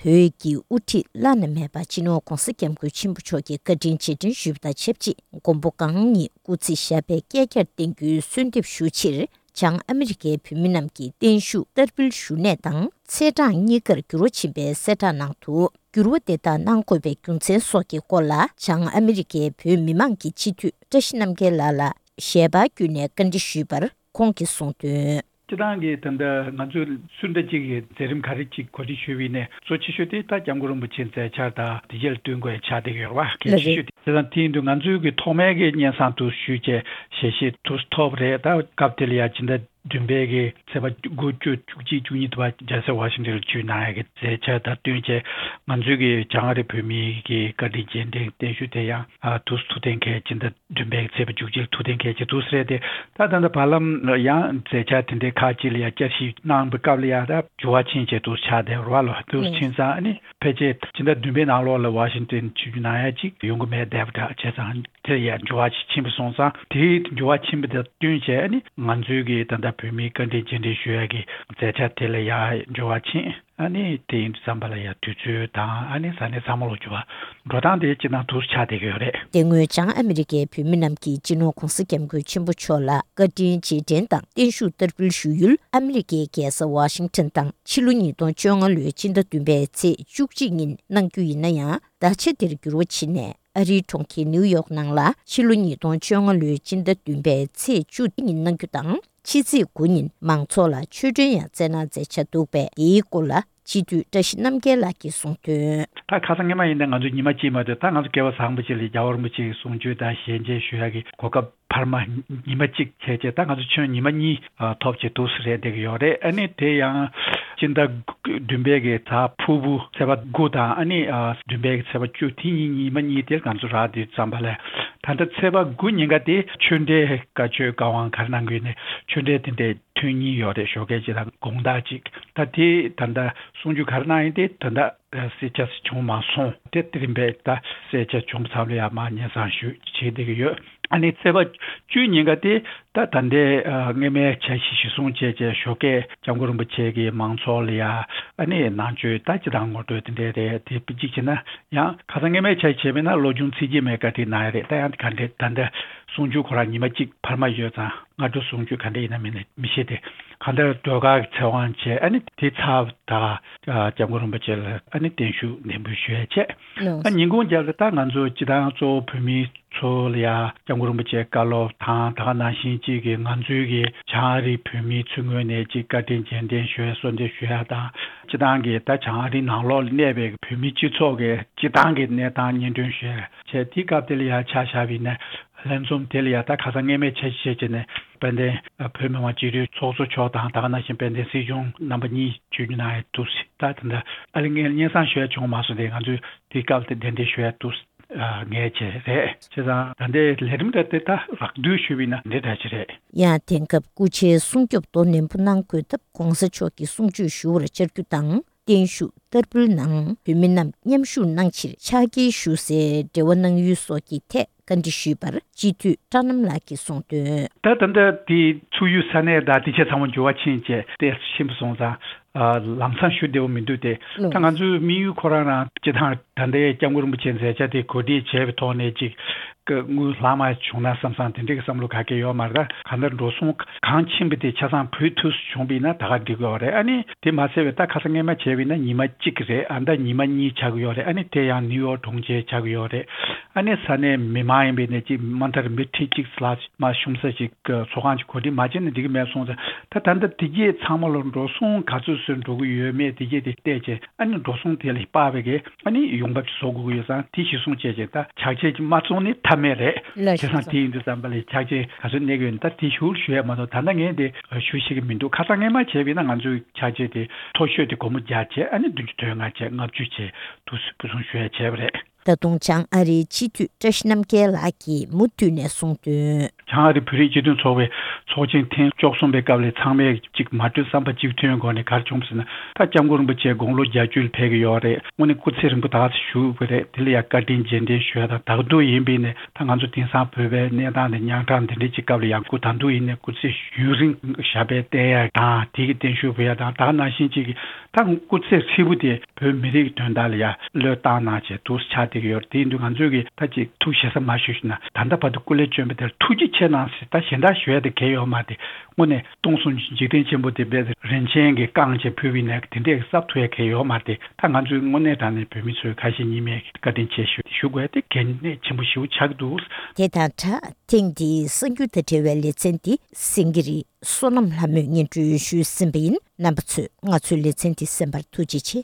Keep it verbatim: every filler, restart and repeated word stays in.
བོད་ཀྱི་དབུ་ཁྲིད་བླ་ན་མེད་པ་སྤྱི་ནོར་ྋགོང་ས་ྋསྐྱབས་མགོན་ཆེན་པོ་མཆོག་གི་བཀའ་དྲིན་རྗེས་དྲན་ཞུས་པ་དང་ཆབས་ཅིག་མགོན་པོ་གང་ཉིད་སྐུ་ཚེ་ཞབས་པད་བསྐལ་བརྒྱར་བརྟན་རྒྱུའི་གསོལ་འདེབས་ཞུ་ཕྱིར། བྱང་ཨ་མི་རི་ཀའི་བོད་མི་རྣམས་ཀྱི་བརྟན་བཞུགས་བསྟར་འབུལ་ཞུ་གནས་དང་ཚེས་གྲངས་གཉིས་ཀར་འགྱུར་བ་ཕྱིན་པའི་གསལ་བསྒྲགས་ནང་དུ། འགྱུར་བ་དེ་དག་གནང་དགོས་པའི་རྒྱུ་མཚན་སོགས་ཀྱི་སྐོར་ལ། བྱང་ཨ་མི་རི་ཀའི་བོད་མི་མང་གི་སྤྱི་འཐུས་བཀྲ་ཤིས་རྣམ་རྒྱལ་ལགས་ལ་ཞལ་པར་བརྒྱུད་ནས་བཀའ་འདྲི་ཞུས་པར། ཁོང་གིས་གསུངས་དོན། སྤྱིར་བཏང་གི་ད་ལྟ་ང་ཚོས་སུ་འདྲ་གཅིག་གི་མཛད་རིམ་ག་རེ་གཅིག་གོ་སྒྲིག་ཞུས་པ་ཡིན་ནའི། གཙོ་ཆེ་ཤོས་དེ་ད་སྐྱབས་མགོན་རིན་པོ་ཆེའི་མཛད་འཆར་དང་དེ་རྗེས་ལ་བསྟུན་དགོས་ཆགས་བསྡད་ཀྱི་ཡོད་རེད་བ། གལ་ཆེ་ཤོས་དེ། བྱས་ཙང་དེ་ཡིན་དུས་ང་ཚོའི་གི་ཐོག་མའི་གི་སྙན་སེང་དུ་ཞུས་བྱས་ཞལ་བཞེས་དུ་ཐོབ་རེད། ད་སྐབས་དེ་ལ་ཡ་ཕྱི་ཟླ་བདུན་པའི་གི་ཚེས་པ་དགུ་བཅུ་བཅུ་གཅིག་བཅུ་གཉིས་དུ་བ་རྒྱལ་ས་ཝ་ཤིང་ཊོན་ལ་བསྐྱོད་གནང་ཡ་གི་མཛད་འཆར་དང་བསྟུན་བྱས། ང་ཚོའི་གི་བྱང་ཨ་རི་བོད་མིའི་གི་བཀའ་དྲིན་རྗེས་དྲན་བརྟན་བཞུགས་དེ་ཡང་ཨ་དུས་སུ་ཐུགས་གཏན་འཁེལ་ཕྱི་ཟླ་བདུན་པའི་ཚེས་པ་བཅུ་གཅིག་ལ་ཐུགས་གཏན་འཁེལ་བྱས་འདུག་ཟེར་ཏེ། ད་ད་ལྟ་བར་ལམ་ཡང་མཛད་འཆར་དེ་འདྲའི་ཁག་ཅིག་ལ་ཡང་བསྐྱར་ཞིབ་གནང་བའི་སྐབས་ལ་ཡང་ད་འགྱུར་བ་ཕྱིན་བྱས་འདུག་ཆགས་བསྡད་རེད་བ་ལོ། འདུག་ཕྱིན་ཙང་ཨ་ནི་ཕལ་ཆེར་ཕྱི་ཟླ་བདུན་པའི་ནང་ལོགས་ལ་ཝ་ཤིང་ཊོན་ཆིབས་བསྒྱུར་གནང་ཡ་ཅིག་ཡོང་གི་མེད་བསྡད་པ་འདྲ། བྱས་ཙང་དེ་ཡང་འགྱུར་བ་ཞིག་ཕྱིན་པ་སོང་ཙང་། དེའི་འགྱུར་བ་ཕྱིན་པ་དང་བསྟུན་བྱས་ཨ་ནི་ང་ཚོའི་གི་ད་ལྟ་བོད་མིའི་བཀའ་དྲིན་རྗེས་དྲན་ཞུ་ཡ་གི་མཛད་འཆར་དེ་ལ་ཡང་འགྱུར་བ་ཕྱིན། ཨ་ནི་དེ་ཡིན་དུས་ཙམ་པ་ལ་ཡང་དུས་ཚོད་དང་ཨ་ནི་ས་གནས་ཚང་མ་ལོག་འགྱུར་བ་འགྲོ་སྟངས་དེ་སྤྱིར་བཏང་འདུག་ཆགས་བསྡད་ཀྱི་ཡོད་རེད། དེ་སྔོན་བྱང་ཨ་མི་རི་ཀའི་བོད་མི་རྣམས་ཀྱིས་སྤྱི་ནོར་ྋགོང་ས་ྋསྐྱབས་མགོན་ཆེན་པོ་མཆོག་ལ་བཀའ་དྲིན་རྗེས་དྲན་དང་བརྟན་བཞུགས་བསྟར་འབུལ་ཞུ་ཡུལ་ཨ་མི་རི་ཀའི་རྒྱལ་ས་ཝ་ཤིང་ཊོན་དང་ཕྱི་ལོ་ཉིས་སྟོང་བཅོ་ལྔ་ལོའི་ཕྱི་ཟླ་བདུན་པའི་ཚེས་བཅུ་གཅིག་ཉིན་གནང་རྒྱུ་ཡིན་ན་ཡང་། ད་ཆ་དེར་འགྱུར་བ་ཕྱིན་ནས། ཨ་རིའི་གྲོང་ཁྱེར་ནིའུ་ཡོག་ནང་ལ་ཕྱི་ལོ་ཉིས་སྟོང་བཅོ་ལྔ་ལོའི་ཕྱི་ཟླ་བདུན་པའི་ཚེས་བཅུ་ཉིན་གནང་རྒྱུ་དང་། ཕྱི་ཚེས་དགུ་ཉིན་མང་ཚོགས་ལ་ཆོས་འབྲེལ་ཡང་སྩལ་གནང་མཛད་འཆར་འདུག་པས། དེའི་སྐོར་ལ་སྤྱི་འཐུས་བཀྲ་ཤིས་རྣམ་རྒྱལ་ལགས་ཀྱིས་གསུངས་དོན། ད་ཁ་སང་སྔོན་མ་ཡིན་ན་ང་ཚོ་ཉི་མ་གཅིག་མ་གཏོགས། ད་ང་ཚོ་སྐལ་བ་བཟང་པོ་ཅིག་ལ་རྒྱལ་བ་རིན་པོ་ཆེའི་གསུང་ཆོས་དང་ཞལ་མཇལ་ཞུ་ཡག་གི་གོ་སྐབས་འཕར་མ་ཉི་མ་གཅིག་བྱས་རྗེས། ད་ང་ཚོ་ཆོས་ཉི་མ་གཉིས་ཐོབ་བྱས་འདུག་སེ་རེད་བསྡད་ཀྱི་ཡོད་རེད། ཨ་ནི་དེ་ཡང་སྤྱི་ཟླ་བདུན་པའི་གི་གཟའ་ཕུར་བུ་ཚེས་པ་དགུ་དང་། ཨ་ནི་ཨ་བདུན་པའི་གི་ཚེས་པ་བཅུ། དེ་གཉིས་ཉི་མ་གཉིས་དེ་ང་ཚོ་རག་དུས་ཙམ་པ་ལ། ད་ལྟ་ཚེས་པ་དགུ་ཉིན་ཀ་དེ་ཆོས་འབྲེལ་བཀའ་ཆོས་བཀའ་དབང་ག་རེ་གནང་གི་ཡོད་ནས་ཆོས་འབྲེལ་དེ་འདྲའི་ཐོན་གྱིན་ཡོད་རེད། ཞོགས་ཀས་ཅིག་དང་དགོང་དག་ཅིག་ད་དེ་ད་ལྟ་གསུང་ཆོས་ག་རེ་གནང་ཡིན་དེ་ད་ལྟ་གསལ་ཆ་བྱུང་མ་སོང་། དེ་དེ་རིང་པས་ད་གསལ་ཆ་བྱུང་ཚར་ལ་ཡ་མ་སྙན་སེང་ཞུ་བྱེད་བསྡད་ཀྱི་ཡོད། ཨ་ནི་ཚེས་པ་བཅུ་ཉིན་ཀ་དེ་ད་ད་ལྟའི་ཨ་སྔོན་མའི་འཆར་གཞི་གཞིར་བཟུང་བྱས་བྱས་ཞོགས་ཀས་སྐྱབས་མགོན་རིན་པོ་ཆེ་གིས་མང་ཚོགས་ལ་ཡ་ཨ་ནི་ནང་ཆོས་ད་སྤྱིར་བཏང་ངོ་སྤྲོད་དེ་འདྲས་རེད། དེ་གཅིག་བྱས་ན་ཡང་ཁ་སང་སྔོན་མའི་འཆར་གཞི་བྱས་པ་ཡིན་ན་བློ་སྦྱོང་ཚིག་བརྒྱད་མའི་བཀའ་ཁྲིད་གནང་ཡ་རེད། ད་ཡང་ག་འདྲས་ད་ལྟ་གསུང་ཆོས་ཁོ་རང་ཉི་མ་གཅིག་འཕར་མ་ཡོད་ཙང་། སྔ་དྲོ་གསུང་ཆོས་ག་འདྲ་ཡིན་ན་མིན་ན་མི་ཤེས་ཏེ། གང་ལྟར་ཟློས་གར་གྱི་ཚེ་དབང་བྱས། ཨ་ནི་དེ་ཚར་ད་སྐྱབས་མགོན་རིན་པོ་ཆེ་ལ་ཨ་ནི་བརྟན་བཞུགས་ནན་འབུལ་ཞུ་ཡ་བྱས། ཨ་ཉིན་གུང་རྒྱབ་ལ་ད་ང་ཚོ་སྤྱིར་བཏང་གཙོ་བོ་བོད་མི་ཚོ་ལ་ཡ་སྐྱབས་མགོན་རིན་པོ་ཆེའི་བཀའ་སློབ་དང་། ད་ག་ནང་བཞིན་གཅིག་གི་ང་ཚོའི་གི་བྱང་ཨ་རིའི་བོད་མི་ཚོའི་ངོས་ནས་གཅིག་བཀའ་དྲིན་རྗེས་དྲན་ཞུ་ཡ་གསོལ་འདེབས་ཞུ་ཡ་དང་། སྤྱིར་བཏང་གི་ད་བྱང་ཨ་རིའི་ནང་ལོགས་ལ་གནས་པའི་བོད་མི་སྤྱི་ཚོགས་ཀྱི་སྤྱིར་བཏང་གི་གནས་སྟངས་སྙན་སྒྲོན་ཞུ་ཡ་བྱས། དེའི་སྐབས་དེ་ལ་ཡ་ཆ་བཞག་པ་ཡིན་ན། ལྷན་འཛོམས་དེ་ལ་ཡ་ད་ཁ་སང་སྔོན་མའི་འཆར་གཞི་བྱས་བྱས་ནས་དཔལ་ལྡན་བོད་མི་མང་སྤྱི་འཐུས་ཚོགས་གཙོ་མཆོག་དང་། ད་ག་ནང་བཞིན་དཔལ་ལྡན་སྲིད་སྐྱོང་རྣམ་པ་གཉིས་བརྗོད་རྒྱུ་གནང་ཡ་འདུག་སེ། ད་དེ་འདྲ་ཨ་ལེ་ངས་སྙན་སེང་ཞུ་ཡ་བྱུང་མ་སོང་སྟེ། ང་ཚོས་དེའི་སྐབས་དེ་གདན་འདྲེན་ཞུ་ཡ་འདུག་ངས་བྱས་རེད། བྱས་ཙང་ད་ལྟའི་ལས་རིམ་འདྲ་དེ་ད་རགས་བསྡུས་ཞུས་པ་ཡིན་ན་འདི་འདྲ་ཅིག་རེད། ཡང་དེང་སྐབས་སྐུ་ཕྱྭའི་སྲུང་སྐྱོབ་དོ་ནན་པོ་གནང་དགོས་སྟབས། ྋགོང་ས་མཆོག་གི་གསུང་ཆོས་ཞུ་བར་བཅར་རྒྱུ་དང་། བརྟན་བཞུགས་བསྟར་འབུལ་ནང་བོད་མི་རྣམས་མཉམ་ཞུགས་གནང་ཕྱིར་ཕྱག་འཁྱེར་ཞུ་སའི་འབྲེལ་བ་གནང་ཡུལ་སོགས་ཀྱི་ཐད་བཀའ་འདྲི་ཞུས་པར། སྤྱི་འཐུས་བཀྲ་རྣམ་ལགས་ཀྱིས་གསུངས་དོན། ད་ད་ལྟ་དེ་ཚུགས་ཡུལ་ས་གནས་དང་དེ་ཆ་ཚང་མ་འགྱུར་བ་ཕྱིན་བྱས་ཏེ་ཕྱིན་པ་སོང་ཙང་། ཨ་ལམ་སང་ཞུ་བདེ་བོ་མི་འདུག་སྟེ། ད་ང་ཚོའི་དམིགས་ཡུལ་ཁོ་རང་རང་སྤྱིར་བཏང་ད་ལྟའི་སྐྱབས་མགོན་རིན་པོ་ཆེའི་མཛད་འཆར་དེ་གོ་སྒྲིག་བྱས་པའི་ཐོག་ནས་ཅིག་དངུལ་ལྷག་མ་བྱུང་ན་བསམ་བསམ་དེ་འདྲའི་བསམ་བློ་ག་གེ་ཡོད་མ་རེད། ད་གང་ལྟར་འགྲོ་སོང་གང་ཕྱིན་པ་དེ་ཆ་ཚང་བུད་ཐུབ་བྱུང་བ་ཡིན་ན་ད་ག་འགྲིག་གི་ཡོད་རེད། ཨ་ནི་དེ་མ་ཟད་པའི་ད་ཁ་སང་སྔོན་མ་བྱས་པ་ཡིན་ན་ཉི་མ་གཅིག་རེད། ཨ་ད་ཉི་མ་གཉིས་ཆགས་ཀྱི་ཡོད་རེད། ཨ་ནི་དེ་ཡང་ནིའུ་ཡོག་གྲོང་ཁྱེར་ཆགས་ཀྱི་ཡོད་རེད། ཨ་ནི་ས་གནས་མི་མང་ཡིན་པའི་ནས་ཅིག་མ་མཐར་མི་ཁྲི་གཅིག་ལྷག་མ་ཤོང་ས་ཅིག་ཚོགས་ཁང་ཅིག་གོ་སྒྲིག་མ་བྱས་ན་འགྲིག་གི་མེད་སོང་ཙང་། ད་ད་ལྟ་དེ་གྱད་ཚང་མ་ལ་འགྲོ་སོང་ག་ཚོད་ཚོད་འགྲོ་གི་ཡོད་མེད་དེ་གྱད་དེ་བལྟས་བྱས། ཨ་ནི་འགྲོ་སོང་དེ་ལ་དཔག་པའི་གི་ཨ་ནི་ཡོང་འབབ་ཅིག་བཟོ་དགོས་ཀྱི་ཡོད་ཙང་། དེ་གཞི་བཟུང་བྱས་བྱས་ད་ཕྱག་ཕྱིད་ཅིག་མ་བཙོང་ནི་ཐབས་མེད་རེད། ལགས་སོ། བྱས་ཙང་དེ་ཡིན་དུས་ཙམ་པ་ལ་ཕྱག་ཕྱིད་ག་ཚོད་གནས་ཀྱི་ཡོད་ན་ད་དེ་ཞུ་ཞུ་ཡས་མ་གཏོགས་ད་ལྟ་ངས་དེ་ཞུ་ཤེས་ཀྱི་མི་འདུག་ཁ་སང་སྔོན་མ་བྱས་པ་ཡིན་ན་ང་ཚོའི་ཕྱག་ཕྱིད་དེ་མཐོ་ཤོས་དེ་སྒོར་མོ་བརྒྱ་བྱས། ཨ་ནི་བདུན་ཅུ་དོན་ལྔ་བྱས། ལྔ་བཅུ་བྱས། དུ་སུ་བུ་སུང་ཞུ་ཡས་བྱས་པ་རེད། ད་དུང་བྱང་ཨ་རིའི་སྤྱི་འཐུས་བཀྲ་ཤིས་རྣམ་རྒྱལ་ལགས་ཀྱིས་མུ་མཐུད་ནས་གསུངས་དོན། བྱང་ཨ་རི་བོད་རིགས་སྤྱི་མཐུན་ཚོགས་པའི་ཚོགས་ཆེན་ཐེངས་བཅུ་གསུམ་པའི་སྐབས་ལ་ཚང་མས་གཅིག་མ་གྲོས་བསམ་པ་གཅིག་མཐུན་སྒོ་ནས་ག་རེ་བྱུང་ཟེར་ན། ད་སྐྱབས་མགོན་རིན་པོ་ཆེ་དགུང་ལོ་བརྒྱད་ཅུ་ལ་ཕེབས་ཀྱི་ཡོད་རེད། དངོས་གནས་སྐུ་ཚེ་རིང་པོ་ད་བཞུགས་པ་རེད། དེ་ལ་ཡང་བཀའ་དྲིན་རྗེས་དྲན་ཞུ་ཡ་དང་། ད་དུང་ཡིན་པས་ནས་ད་ང་ཚོ་དེང་སང་བོད་པའི་གནས་སྟངས་དེ་ཉམ་ཐག་འདི་འདྲའི་ཅིག་སྐབས་ལ་ཡང་སྐུ་ད་དུང་ཡིན་ནས་སྐུ་ཚེ་ཡུན་རིང་ཞབས་པད་བརྟན་ཡ་དང་། དེ་གི་བརྟན་བཞུགས་ཕུལ་ཡ་དང་། ད་ག་ནང་བཞིན་ཅིག་གི་ད་སྐུ་ཚེ་ཧྲིལ་པོ་དེ་བོད་མི་རིགས་དོན་དག་ལ་ཡ་བློས་བཏང་གནང་བྱས་འདུག་ཆགས་བསྡད་ཀྱི་ཡོད་རེད། དེ་ཡིན་དུས་ང་ཚོས་ཀྱི་ད་ཅིག་ཐུགས་ཞེ་ས་མ་ཞུ་ཞུ་ན། ད་ལྟ་བར་དུ་སྐུ་ལས་བསྐྱོན་པ་དེར་ཐུགས་རྗེ་ཆེ་གནང་ཟེར་ད་གཞན་དག་ཞུ་ཡ་དེ་གལ་ཡོད་མ་རེད། དངོས་གནས་སྟོང་གསུམ་འཇིག་རྟེན་ཆེན་པོ་དེ་བས་རིན་ཆེན་གྱི་བསྐང་བྱས་ཕུལ་བའི་ནས་དེ་འདྲས་གསབ་ཐུབ་ཡ་གལ་ཡོད་མ་རེད། ད་ང་ཚོས་དངོས་གནས་དྲང་གནས་བོད་མི་ཚོའི་ཁ་ཞེ་གཉིས་མེད་བཀའ་དྲིན་ཆེ་ཞུ་ཞུ་དགོས་ཡ་དེ་གལ་གནད་ཆེན་པོ་ཞེ་པོ་ཆགས་ཀྱི་འདུག། དེ་དང་སྦྲགས། ཐེངས་འདིའི་གསར་འགྱུར་དང་འབྲེལ་བའི་ལེ་ཚན་འདི་སེང་གེ་རི་བསོད་ནམས་ལྷ་མོས་སྙན་སྒྲོན་ཞུས་ཟིན་པ་ཡིན། རྣམ་པ་ཚོས་ང་ཚོའི་ལེ་ཚན་འདི་གསན་པར་ཐུགས་རྗེ་ཆེ།